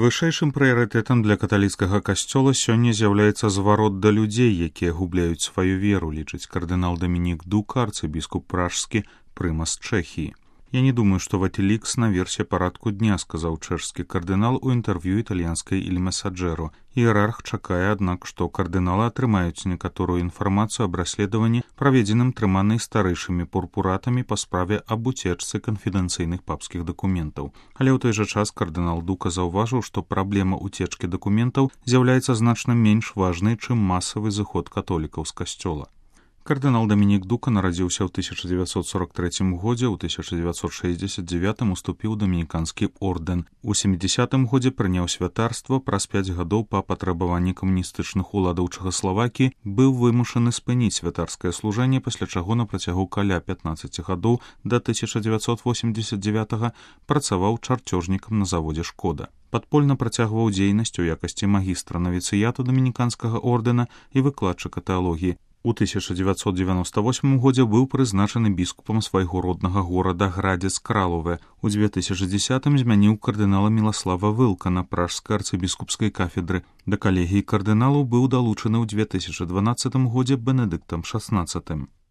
Вышэйшым прыярытэтам для каталіцкага касцёла сёння з'яўляецца зварот да людзей, якія губляюць сваю веру, лічыць кардынал Дамінік Дука, арцыбіскуп пражскі, прымас Чэхіі. «Я не думаю, что Ватиликс на версе парадку дня», — сказаў чэшскі кардынал у інтэрв'ю італьянскай «Иль Месаджэро». Іерарх чакае, аднак, што кардыналы атрымаюць некаторую інфармацыю аб расследаванні, праведзеным трыманай старэйшымі пурпуратамі па справе аб уцечцы канфідэнцыйных папскіх дакументаў. Але ў той жа час кардынал Дука заўважыў, што праблема уцечкі дакументаў з'яўляецца значна менш важнай, чым масавы зыход католікаў з касцёла. Кардынал Дамінік Дука нарадзіўся ў 1943 годзе, у 1969 уступіў у дамініканскі ордэн. У 70-м годзе прыняў святарства, праз 5 гадоў па патрабаванні камуністычных уладаў Чэхаславакіі быў вымушаны спыніць святарскае служэнне, пасля чаго на працягу каля 15 гадоў да 1989 працаваў чарцёжнікам на заводзе «Шкода». Падпольна працягваў дзейнасць у якасці магістра навіцыяту дамініканскага ордэна і выкладчыка тэалогіі. У 1998 годзе быў прызначаны біскупам свайго роднага горада Градзец-Кралове. У 2010-м змяніў кардынала Міласлава Вылка на пражскай арцыбіскупскай кафедры. Да калегіі кардыналаў быў далучаны ў 2012 годзе Бенедыктам XVI.